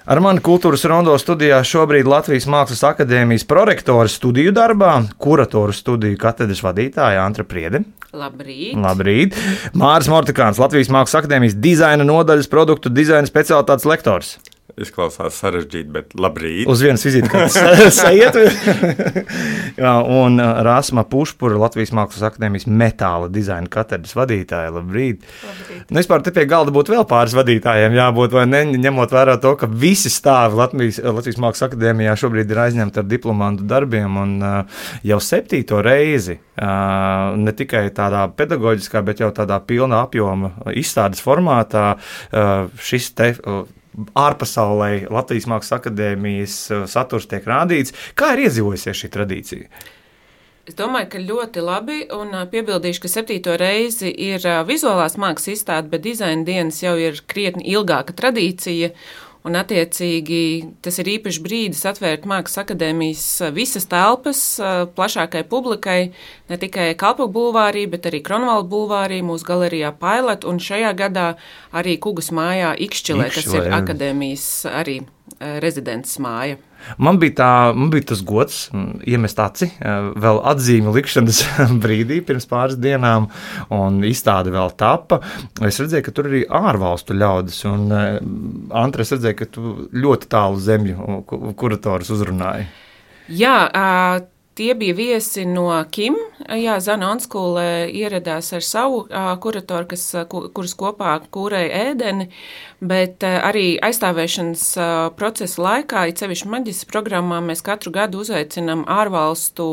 Ar mani Kultūras Rondo studijā šobrīd Latvijas Mākslas akadēmijas prorektora studiju darbā, kuratoru studiju katedras vadītāja Antra Priede. Labrīt. Labrīt. Māris Mortikāns, Latvijas Mākslas akadēmijas dizaina nodaļas produktu dizaina specialitātes lektors. Izklausās sarežģīti, bet labrīt. Uz vienas vizītes sajiet. Un Rāsma Pušpura, Latvijas Mākslas akadēmijas metāla dizaina katedras vadītāja. Labrīt. Labrīt. Vispār te pie galda būtu vēl pāris vadītājiem jābūt, vai ne, ņemot vērā to, ka visi stāvi Latvijas Mākslas akadēmijā šobrīd ir aizņemti ar diplomantu darbiem un jau 7. reizi, ne tikai tādā pedagoģiskā, bet jau tādā pilna apjoma izstādes formātā šis te ārpasaulē Latvijas Mākslas akadēmijas saturs tiek rādīts. Kā ir iedzīvojusies šī tradīcija? Es domāju, ka ļoti labi, un piebildīšu, ka 7. reizi ir vizuālās mākslas izstāde, bet dizaina dienas jau ir krietni ilgāka tradīcija, un attiecīgi tas ir īpašs brīdis atvērt Mākslas akadēmijas visas telpas plašākai publikai, ne tikai Kalpoku bulvārī, bet arī Kronvalda bulvārī, mūsu galerijā Pilot, un šajā gadā arī Kugas mājā Ikšķilē, kas ir akadēmijas arī rezidents māja. Man bija tas gods iemest aci vēl atzīmi likšanas brīdī pirms pāris dienām, un izstāde vēl tapa. Es redzēju, ka tur arī ārvalstu ļaudis, un Antra, es redzēju, ka tu ļoti tālu zemju kuratorus uzrunāji. Jā, tie bija viesi no Kim. Jā, Zana Onskule ieradās ar savu kuratoru, kuras kopā kūrēja ēdeni, bet arī aizstāvēšanas procesa laikā, it sevišķi maģistra programmā, mēs katru gadu uzaicinām ārvalstu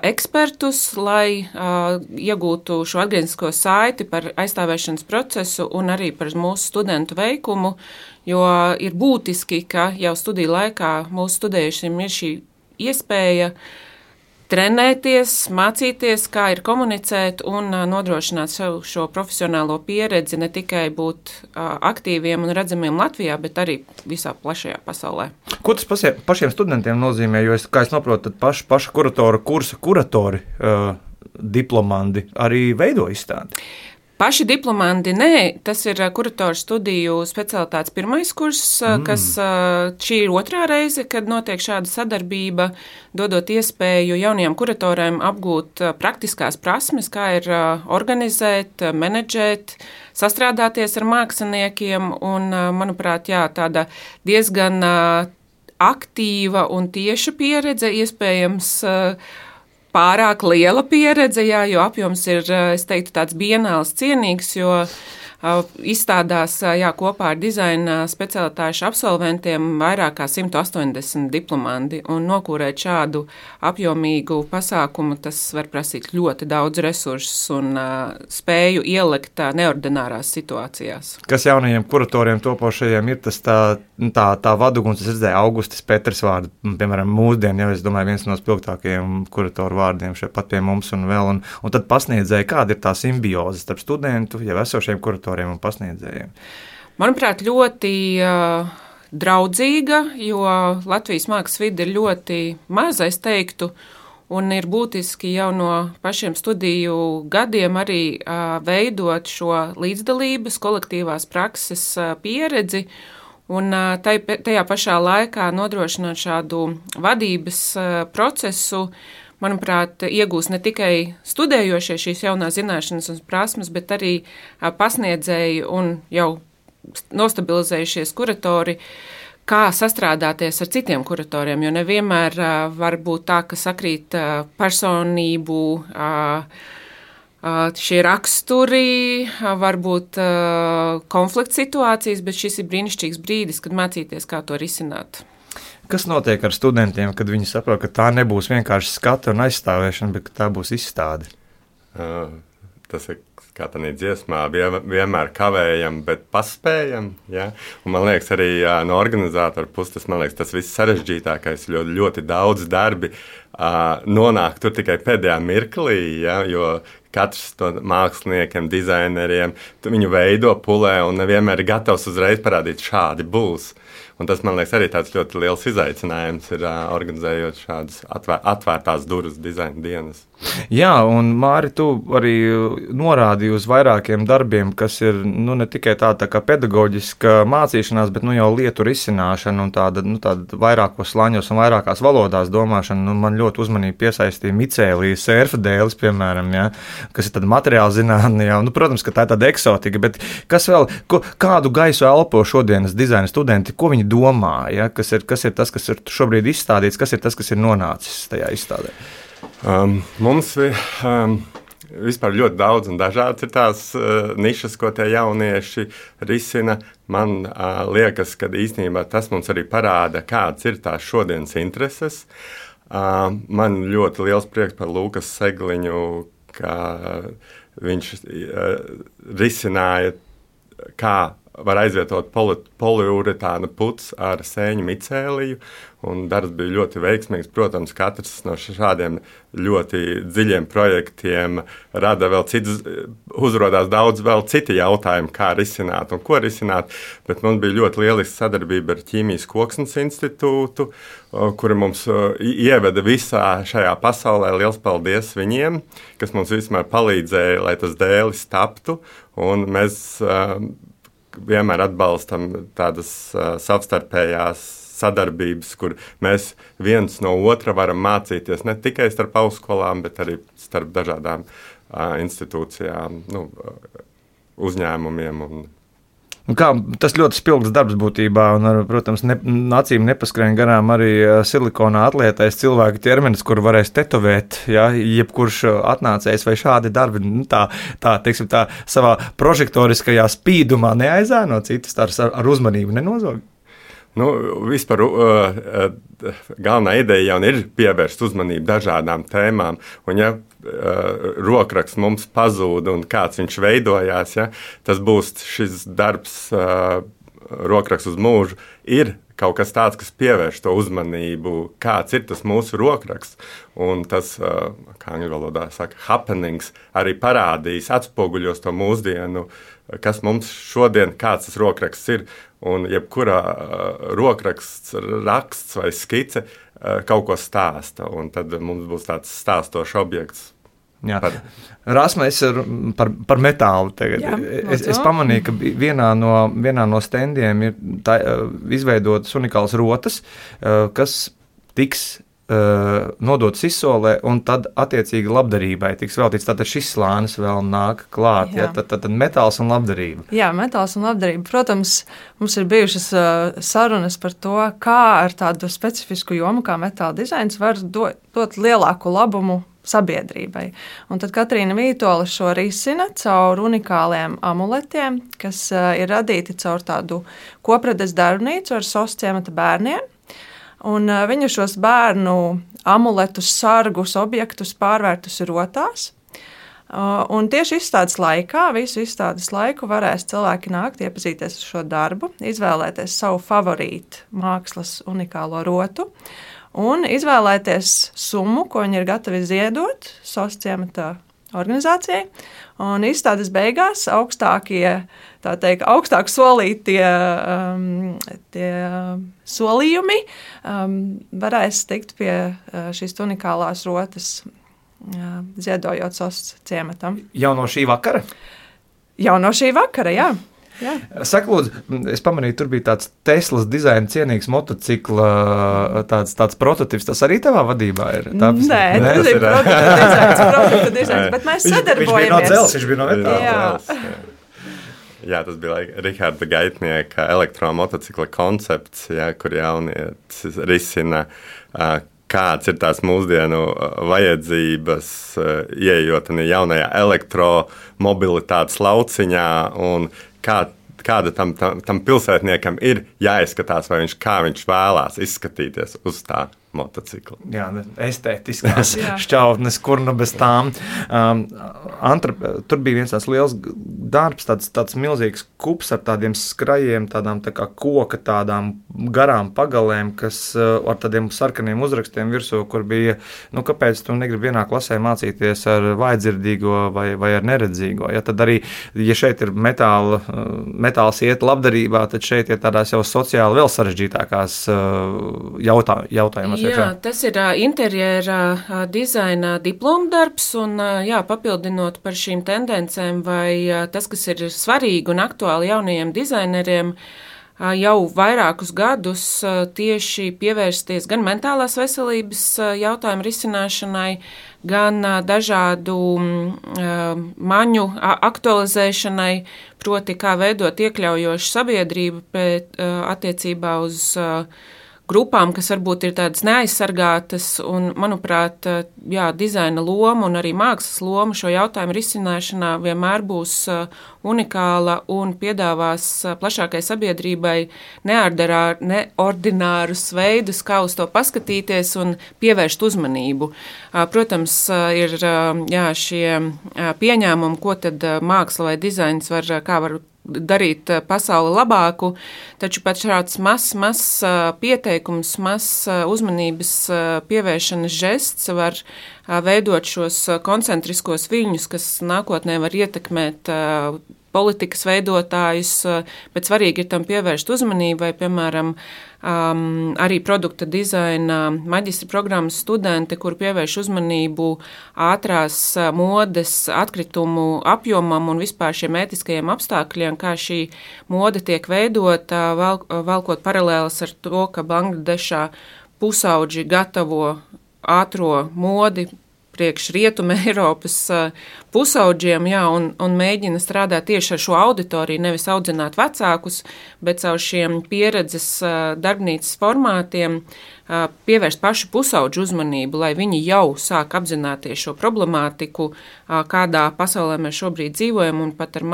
ekspertus, lai iegūtu šo atgrieznisko saiti par aizstāvēšanas procesu un arī par mūsu studentu veikumu, jo ir būtiski, ka jau studiju laikā mūsu studējušiem ir šī iespēja trenēties, mācīties, kā ir komunicēt un nodrošināt savu šo profesionālo pieredzi, ne tikai būt aktīviem un redzamiem Latvijā, bet arī visā plašajā pasaulē. Ko tas pašiem studentiem nozīmē? Jo, kā es saprotu, tad paša kuratora kursa kuratori, diplomandi arī veido izstādi. Paši diplomanti, nē, tas ir kuratoru studiju specialitātes pirmais kurs, kas šī ir 2. reize, kad notiek šāda sadarbība, dodot iespēju jaunajiem kuratoriem apgūt praktiskās prasmes, kā ir organizēt, menedžēt, sastrādāties ar māksliniekiem, un, manuprāt, jā, tāda diezgan aktīva un tieša pieredze, iespējams, pārāk liela pieredze, jā, jo apjoms ir, es teiktu, tāds bienāls cienīgs, jo izstādās kopā ar dizaina specialitāšu absolventiem vairāk kā 180 diplomandi, un nokūrēt šādu apjomīgu pasākumu, tas var prasīt ļoti daudz resursus un spēju ielikt neordinārās situācijās. Kas jaunajiem kuratoriem topošajiem ir tas tā vaduguns, es redzēju Augustis Petrs vārdu, piemēram, mūsdien, jau es domāju, viens no spilgtākajiem kuratoru vārdiem šeit pat pie mums un vēl, un tad pasniedzēja, kāda ir tā simbioze starp studentu, jau esošiem kuratoriem un pasniedzējiem? Manuprāt, ļoti draudzīga, jo Latvijas mākslas vide ir ļoti maza, es teiktu, un ir būtiski jau no pašiem studiju gadiem arī veidot šo līdzdalības, kolektīvās prakses pieredzi, un tajā pašā laikā nodrošināt šādu vadības procesu, manuprāt, iegūs ne tikai studējošie šīs jaunās zināšanas un prasmes, bet arī pasniedzēji un jau nostabilizējušies kuratori, kā sastrādāties ar citiem kuratoriem, jo nevienmēr var būt tā, ka sakrīt personību, šie raksturi, varbūt konflikts situācijas, bet šis ir brīnišķīgs brīdis, kad mācīties, kā to risināt. Kas notiek ar studentiem, kad viņi saprot, ka tā nebūs vienkārši skata un aizstāvēšana, bet ka tā būs izstāde? Tas ir kā tādā dziesmā, vienmēr kavējam, bet paspējam. Ja? Un man liekas, arī no organizātora puses, tas viss sarežģītākais, ļoti daudz darbi nonāk tur tikai pēdējā mirklī, ja? Jo katrs to māksliniekiem, dizaineriem, viņu veido, pulē un nevienmēr ir gatavs uzreiz parādīt, šādi būs. Un tas, man liekas, arī tāds ļoti liels izaicinājums ir organizējot šādas atvērtās durvis dizaina dienas. Jā, un Māri, tu arī norādīji uz vairākiem darbiem, kas ir ne tikai tā kā pedagoģiska mācīšanās, bet jau lietu risināšana un tāda vairākos slāņos un vairākās valodās domāšana. Man ļoti uzmanīgi piesaistīja Micēlija Sērfadēlis, piemēram, ja, kas ir tāda materiāla zinātne. Protams, ka tā ir tāda eksotika, bet kas vēl, kādu gaisu elpo šodienas dizaina studenti, ko viņi domā, ja, kas ir tas, kas ir šobrīd izstādīts, kas ir tas, kas ir nonācis tajā izstādē? Mums vispār ļoti daudz un dažādas ir tās nišas, ko tie jaunieši risina. Man liekas, ka īstenībā tas mums arī parāda, kādas ir tās šodienas intereses. Man ļoti liels prieks par Lukas Segliņu, ka viņš risināja, kā var aizvietot poliuretāna puts ar sēņu micēliju, un darbs bija ļoti veiksmīgs. Protams, katrs no šādiem ļoti dziļiem projektiem rada vēl citus, uzrodās daudz vēl citi jautājumi, kā risināt un ko risināt, bet mums bija ļoti lieliska sadarbība ar Ķīmijas Koksnes institūtu, kuri mums ieveda visā šajā pasaulē. Liels paldies viņiem, kas mums vismaz palīdzēja, lai tas dēlis taptu, un mēs vienmēr atbalstam tādas savstarpējās sadarbības, kur mēs viens no otra varam mācīties ne tikai starp augstskolām, bet arī starp dažādām institūcijām, uzņēmumiem. Tas ļoti spilgts darbs būtībā, un, protams, acīm nepaskrien garām arī silikonā atlietais cilvēku ķermenis, kuru varēs tetovēt, ja, jebkurš atnācējs vai šādi darbi, tā savā prožektoriskajā spīdumā neaizēno citus ar uzmanību nenozog. Vispār galvenā ideja jau ir pievērst uzmanību dažādām tēmām, un ja rokraksts mums pazūd un kāds viņš veidojās, ja, tas būs šis darbs, rokraksts uz mūžu, ir kaut kas tāds, kas pievērš to uzmanību, kāds ir tas mūsu rokraksts, un tas, kā angļu valodā saka, happenings, arī parādīs, atspoguļos to mūsdienu, kas mums šodien, kāds tas rokraksts ir, un jebkurā rokraksts, raksts vai skice kaut ko stāsta, un tad mums būs tāds stāstošs objekts. Rasma, es par metālu tagad. Jā, es pamanīju, ka vienā no standiem ir izveidotas unikālas rotas, kas tiks nodotas izsolē, un tad attiecīgi labdarībai tiks veltīts. Tātad šis slānis vēl nāk klāt, ja? Tad metāls un labdarība. Jā, metāls un labdarība. Protams, mums ir bijušas sarunas par to, kā ar tādu specifisku jomu kā metāla dizains var dot lielāku labumu sabiedrībai. Un tad Katrīna Vītola šo risina caur unikāliem amuletiem, kas ir radīti caur tādu kopredes darbnīcu ar SOS ciemata bērniem. Un viņu šos bērnu amuletus, sargus, objektus pārvērtus rotās. Un tieši izstādes laikā, visu izstādes laiku varēs cilvēki nākt, iepazīties ar šo darbu, izvēlēties savu favorītu mākslas unikālo rotu un izvēlēties summu, ko viņi ir gatavi ziedot SOS ciemata organizācijai. Un izstādes beigās augstāk solītie tie solījumi varēs tikt pie šīs unikālās rotas, ziedojot SOS ciematam. Jau no šī vakara? Jau no šī vakara, jā. Jā. Saka, lūdzu, es pamanīju, tur bija tāds Teslas dizaina cienīgs motocikla, tāds prototips. Tas arī tavā vadībā ir? Nē, tas ir produkta dizains, bet mēs sadarbojamies. Viņš bija no metāla. Jā, tas bija Riharda Gaitnieka elektromotocikla koncepts, kur jaunietis risina, kāds ir tās mūsdienu vajadzības, ieejot jaunajā elektromobilitātes lauciņā, un kāda tam pilsētniekam ir jāizskatās, vai kā viņš vēlās izskatīties uz tā motocikli. Jā, estētiskās šķautnes, kur nu bez tām. Tur bija viens tāds liels darbs, tāds milzīgs kups ar tādiem skrajiem, tādām tā kā koka, tādām garām pagalēm, kas ar tādiem sarkaniem uzrakstiem virsū, kur bija, kāpēc tu negribi vienā klasē mācīties ar vājdzirdīgo vai ar neredzīgo. Ja, tad arī, ja šeit ir metāls iet labdarībā, tad šeit ir tādās jau sociāli vēl sarežģītākās jautājumos. Jā, tas ir interjera dizaina diplomdarbs, un papildinot par šīm tendencēm vai tas, kas ir svarīgi un aktuāli jaunajiem dizaineriem, jau vairākus gadus tieši pievērsties gan mentālās veselības jautājumu risināšanai, gan dažādu maņu aktualizēšanai, proti kā veidot iekļaujošu sabiedrību attiecībā uz grupām, kas varbūt ir tādas neaizsargātas, un, manuprāt, dizaina loma un arī mākslas loma šo jautājumu risināšanā vienmēr būs unikāla un piedāvās plašākai sabiedrībai neordinārus veidus, kā uz to paskatīties un pievērst uzmanību. Protams, ir šie pieņēmumi, ko tad māksla vai dizains var darīt pasauli labāku, taču pat šāds mazs pieteikums, mazs uzmanības pievēršanas žests var veidot šos koncentriskos viļņus, kas nākotnē var ietekmēt politikas veidotājus, bet svarīgi ir tam pievērst uzmanību, vai, piemēram, arī produkta dizaina maģistra programmas studenti, kur pievērš uzmanību ātrās modes atkritumu apjomam un vispār šiem ētiskajiem apstākļiem, kā šī mode tiek veidota, valkot paralēlas ar to, ka Bangladešā pusauģi gatavo ātro modi priekš Rietuma Eiropas pusauģiem, un mēģina strādāt tieši ar šo auditoriju, nevis audzināt vecākus, bet caur šiem pieredzes darbnīcas formātiem pievērst pašu pusauģu uzmanību, lai viņi jau sāk apzināties šo problemātiku, kādā pasaulē mēs šobrīd dzīvojam, un pat ar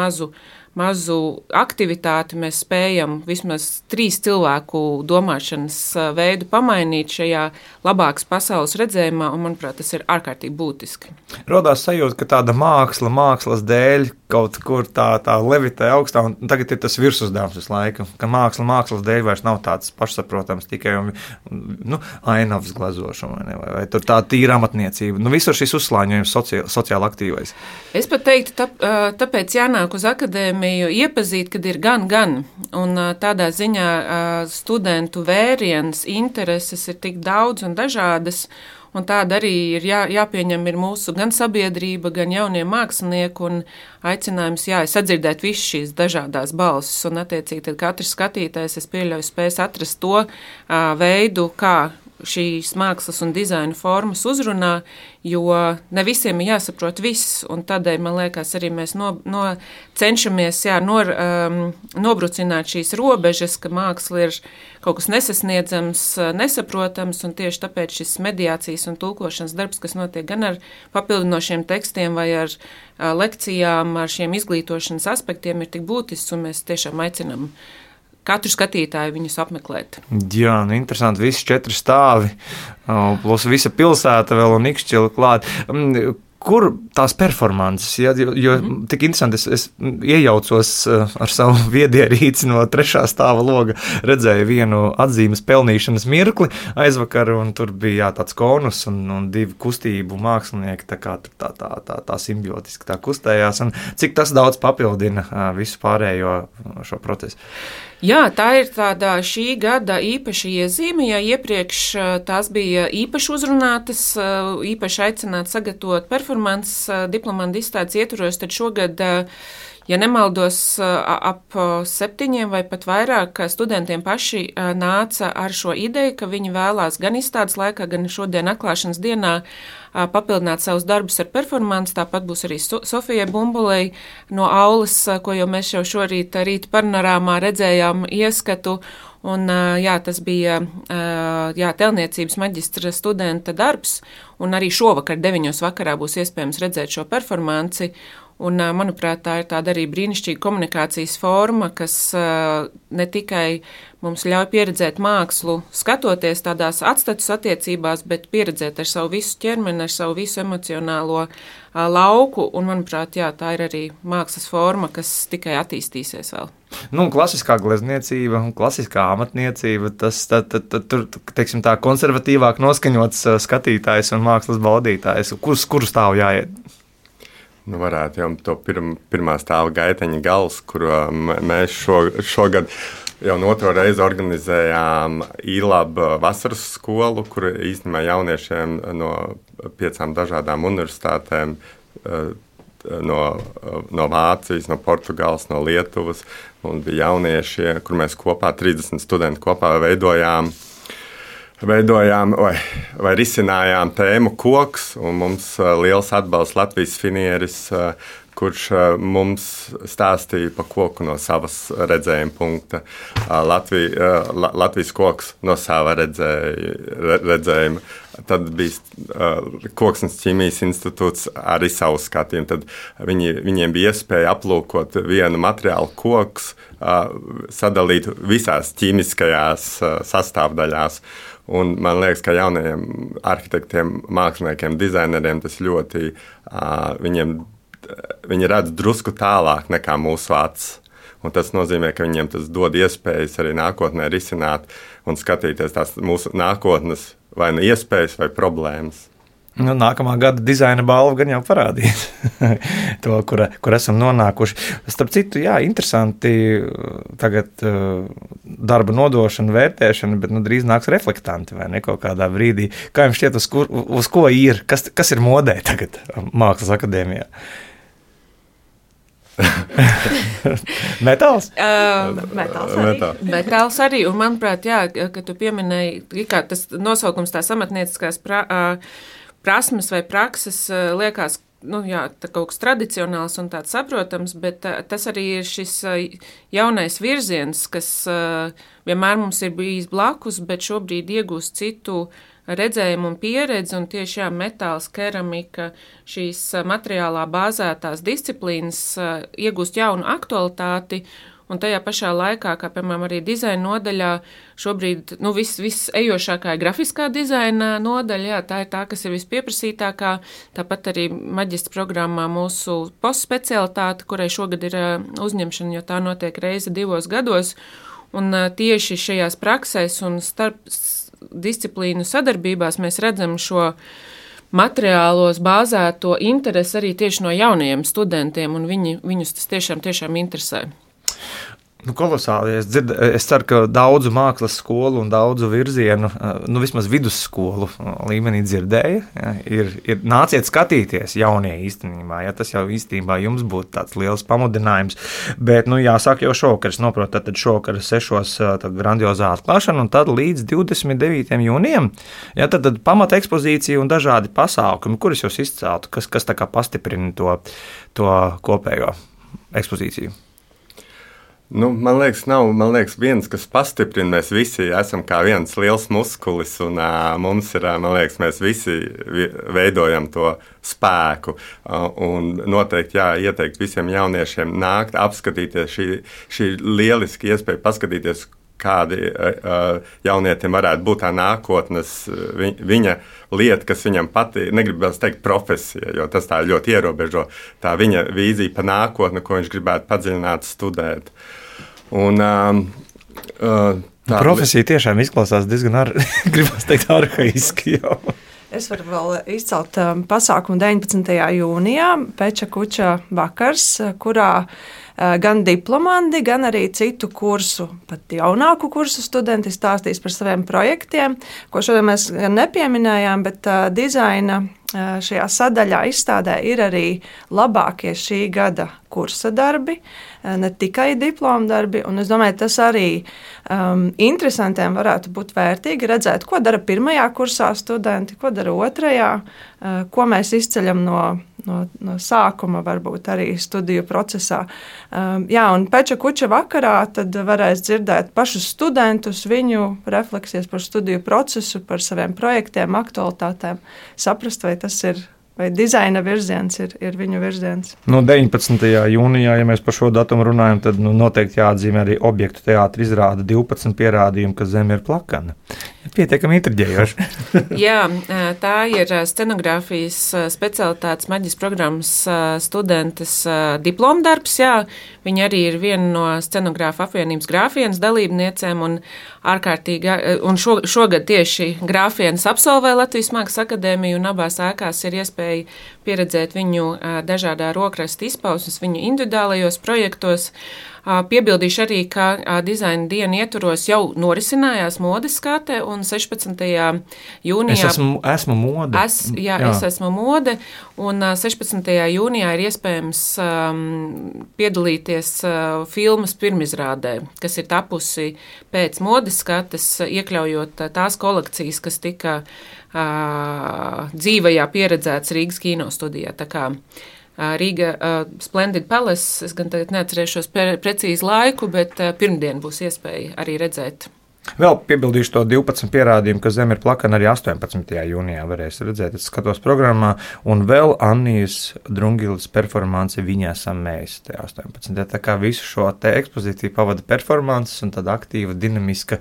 mazu aktivitāti mēs spējam vismaz 3 cilvēku domāšanas veidu pamainīt šajā labākas pasaules redzējumā, un, manuprāt, tas ir ārkārtīgi būtiski. Rodās sajūta, ka tāda mākslas dēļ kaut kur tā levitē augstā, un tagad ir tas virsuzdevums visu laiku, ka mākslas dēļ vairs nav tāds pašsaprotams tikai ainavas glazošana, vai tur tā tīra amatniecība. Visur šis uzslāņojums sociāli aktīvais. Es pat teiktu, tāpēc jānāk uz akadēmiju iepazīt, kad ir gan, un tādā ziņā studentu vēriens, intereses ir tik daudz un dažādas, un tāda arī ir jāpieņem ir mūsu gan sabiedrība, gan jaunie mākslinieki, un aicinājums sadzirdēt visas šīs dažādās balsis, un attiecīgi tad katrs skatītājs, es pieļauju, spēs atrast to veidu, kā šīs mākslas un dizaina formas uzrunā, jo ne visiem ir jāsaprot viss, un tādēļ, man liekas, arī mēs cenšamies nobrucināt šīs robežas, ka māksla ir kaut kas nesasniedzams, nesaprotams, un tieši tāpēc šis mediācijas un tulkošanas darbs, kas notiek gan ar papildinošiem tekstiem vai ar lekcijām, ar šiem izglītošanas aspektiem, ir tik būtisks, un mēs tiešām aicinām katru skatītāju viņus apmeklēt. Jā, interesanti, visi 4 stāvi, plus visa pilsēta vēl un ikšķila klāt. Kur tās performances, jo tik interesanti, es iejaucos ar savu viedierīci no 3. stāva loga, redzēju vienu atzīmes pelnīšanas mirkli aizvakar, un tur bija tāds konus un 2 kustību mākslinieki, tā simbiotiski tā kustējās, un cik tas daudz papildina visu pārējo šo procesu. Jā, tā ir tāda šī gada īpaša iezīme, ja iepriekš tās bija īpaši uzrunātas, īpaši aicināts sagatavot performances diplomantu izstādes ietvaros, tad šogad, ja nemaldos, ap 7 vai pat vairāk studentiem paši nāca ar šo ideju, ka viņi vēlās gan izstādes laikā, gan šodien atklāšanas dienā papildināt savus darbus ar performanci. Tāpat būs arī Sofijai Bumbulei no aulas, ko jau mēs jau šorīt rīta panorāmā redzējām ieskatu. Un, tas bija tēlniecības maģistra studenta darbs, un arī šovakar 9 vakarā būs iespējams redzēt šo performanci. Un, manuprāt, tā ir tāda arī brīnišķīga komunikācijas forma, kas ne tikai mums ļauj pieredzēt mākslu, skatoties tādās atstatus attiecībās, bet pieredzēt ar savu visu ķermeni, ar savu visu emocionālo lauku. Un, manuprāt, jā, tā ir arī mākslas forma, kas tikai attīstīsies vēl. Nu, klasiskā glezniecība un klasiskā amatniecība, tas tur, teiksim tā, konservatīvāk noskaņots skatītājs un mākslas baudītājs. Kurus stāvu jāiet? Nu, varētu jau to pirmā stāva gaiteņa gals, kuru mēs šogad jau 2. reizi organizējām ILAB vasaras skolu, kur īstenībā jauniešiem no 5 dažādām universitātēm, no Vācijas, no Portugāles, no Lietuvas, un bija jaunieši, kur mēs kopā, 30 studenti kopā veidojām vai risinājām tēmu koks, un mums liels atbalsts Latvijas finieris, kurš mums stāstīja par koku no savas redzējuma punkta. Latvijas koks no sava redzējuma. Tad bija Koksnes ķīmijas institūts arī savu skatījumu. Tad viņiem bija iespēja aplūkot vienu materiālu koks, sadalīt visās ķīmiskajās sastāvdaļās. Un man liekas, ka jaunajiem arhitektiem, māksliniekiem, dizaineriem tas ļoti, viņi redz drusku tālāk nekā mūsu acis. Un tas nozīmē, ka viņiem tas dod iespējas arī nākotnē risināt un skatīties tās mūsu nākotnes vai nu iespējas vai problēmas. Nu, nākamā gada dizaina balva gan jau parādīs to, kur esam nonākuši. Starp citu, jā, interesanti tagad darba nodošana, vērtēšana, bet drīz nāks reflektanti vai ne kaut kādā brīdī. Kā jums šķiet, uz ko ir? Kas ir modē tagad Mākslas akadēmijā? Metāls? Metāls arī, un manuprāt, jā, ka tu pieminēji, kā tas nosaukums tās amatnieciskās prasmes vai prakses liekas, jā, tā kaut kas tradicionāls un tāds saprotams, bet tas arī ir šis jaunais virziens, kas vienmēr mums ir bijis blakus, bet šobrīd iegūst citu redzējumu un pieredzi, un tieši metāls, keramika, šīs materiālā bāzētās disciplīnas iegūst jaunu aktualitāti, un tajā pašā laikā, kā piemēram arī dizaina nodaļā, šobrīd viss ejošākā ir grafiskā dizaina nodaļa, jā, tā ir tā, kas ir vispieprasītākā, tāpat arī maģistra programmā mūsu postspecialitāte, kurai šogad ir uzņemšana, jo tā notiek reizi 2 gados, un tieši šajās praksēs un starp disciplīnu sadarbībās mēs redzam šo materiālos bāzēto interesi arī tieši no jaunajiem studentiem, un viņus tas tiešām interesē. Kolosāli. Es ceru, ka daudzu mākslas skolu un daudzu virzienu, vismaz vidusskolu līmenī dzirdēja. Ja, ir nāciet skatīties jaunie īstenībā. Ja, tas jau īstenībā jums būtu tāds liels pamudinājums. Bet, jāsāk jau šovakar, noprotu, tad šovakar 6 grandiozā atklāšana un tad līdz 29. jūnijam. Ja, tad pamata ekspozīcija un dažādi pasākumi, kurus jūs izceltu, kas tā kā pastiprina to kopējo ekspozīciju. Man liekas, viens, kas pastiprina, mēs visi esam kā viens liels muskulis, un mums ir, man liekas, mēs visi veidojam to spēku. Un noteikti ieteikt visiem jauniešiem nākt, apskatīties, šī lieliski iespēja paskatīties, kādi jaunietim varētu būt tā nākotnes viņa lieta, kas viņam patīk, negribas teikt profesija, jo tas tā ļoti ierobežo, tā viņa vīzija pa nākotni, ko viņš gribētu padziļināt, studēt. Un, profesija tiešām izklausās diezgan, gribas teikt, arhaiski jau. Es varu vēl izcelt pasākumu 19. jūnijā, Peča Kuča vakars, kurā gan diplomandi, gan arī citu kursu, pat jaunāku kursu studenti stāstīs par saviem projektiem, ko šodien mēs gan nepieminējām, bet dizaina šajā sadaļā izstādē ir arī labākie šī gada kursa darbi, ne tikai diploma darbi, un es domāju, tas arī interesantiem varētu būt vērtīgi redzēt, ko dara pirmajā kursā studenti, ko dara otrajā, ko mēs izceļam no sākuma, varbūt arī studiju procesā. Un Peča Kuča vakarā tad varēs dzirdēt pašus studentus, viņu refleksijas par studiju procesu, par saviem projektiem, aktualitātēm, saprast, vai tas ir vai dizaina virziens ir viņu virziens. 19. jūnijā, ja mēs par šo datumu runājam, tad noteikti jāatzīmē arī objektu teātra izrāde 12 pierādījumu, ka zeme ir plakana. Pietiekami intriģējoši. Jā, tā ir scenogrāfijas specialitātes maģijas programmas studentes diplomdarbs. Jā. Viņa arī ir viena no scenogrāfa apvienības grāfienas dalībniecēm un ārkārtīgi, un šogad tieši grāfienas absolvē Latvijas Mākslas akadēmiju, un abās ēkās ir iespēja pieredzēt viņu dažādā rokrasta izpausmes, viņu individuālajos projektos. Piebildīšu arī, ka dizaina diena ietvaros jau norisinājās modes skate, un 16. jūnijā... Es esmu mode. Es esmu mode, un 16. jūnijā ir iespējams piedalīties filmas pirmizrādē, kas ir tapusi pēc modes skates, iekļaujot tās kolekcijas, kas tika dzīvajā pieredzēts Rīgas kinostudijā. Tā kā Rīga Splendid Palace, es gan tagad neatcerēšos precīzi laiku, bet pirmdien būs iespēja arī redzēt. Vēl piebildīšu to 12 pierādījumu, ka zeme ir plakana arī 18. jūnijā varēs redzēt. Es skatos programmā, un vēl Annijas Drungilas performanci Viņa esam mēs, te 18. Tā kā visu šo te ekspozīciju pavada performances un tad aktīva, dinamiska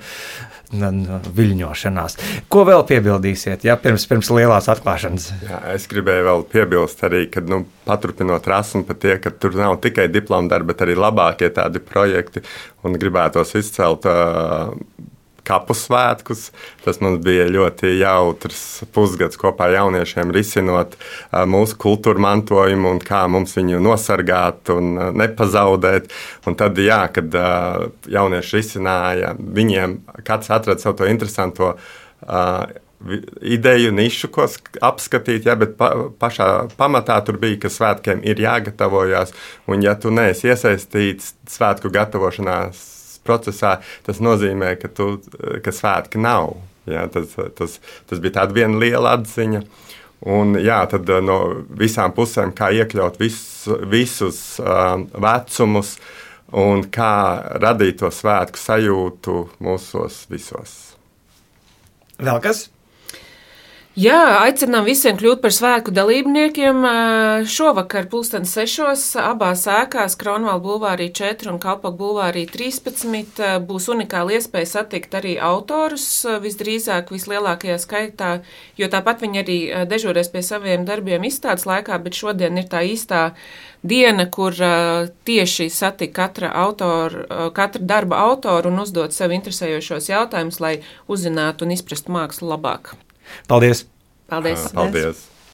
viļņošanās. Ko vēl piebildīsiet, pirms lielās atklāšanas? Jā, es gribēju vēl piebilst arī, ka, paturpinot Rasmu par tie, ka tur nav tikai diploma darbi, bet arī labākie tādi projekti, un gribētos izcelt kapu svētkus. Tas mums bija ļoti jautrs pusgads kopā ar jauniešiem risinot mūsu kultūra mantojumu un kā mums viņu nosargāt un nepazaudēt. Un tad, kad jaunieši risināja, viņiem kāds atrada savu to interesanto ideju, nišu, ko apskatīt, bet pašā pamatā tur bija, ka svētkiem ir jāgatavojas, un ja tu neesi iesaistīts svētku gatavošanās procesā, tas nozīmē, ka svētki nav. Jā, tas bija tāda viena liela atziņa. Un, tad no visām pusēm, kā iekļaut visus vecumus un kā radīt to svētku sajūtu mūsos visos. Vēl kas? Jā, aicinām visiem kļūt par svētku dalībniekiem. Šovakar 6:00 abās ēkās, Kronvalda bulvārī 4 un Kalpoku bulvārī 13, būs unikāla iespēja satikt arī autorus, visdrīzāk vislielākajā skaitā, jo tāpat viņi arī dežūrēs pie saviem darbiem izstādes laikā, bet šodien ir tā īstā diena, kur tieši satika katra darba autoru un uzdot sev interesējošos jautājumus, lai uzzinātu un izprastu mākslu labāk. Paldies! Paldies! Paldies.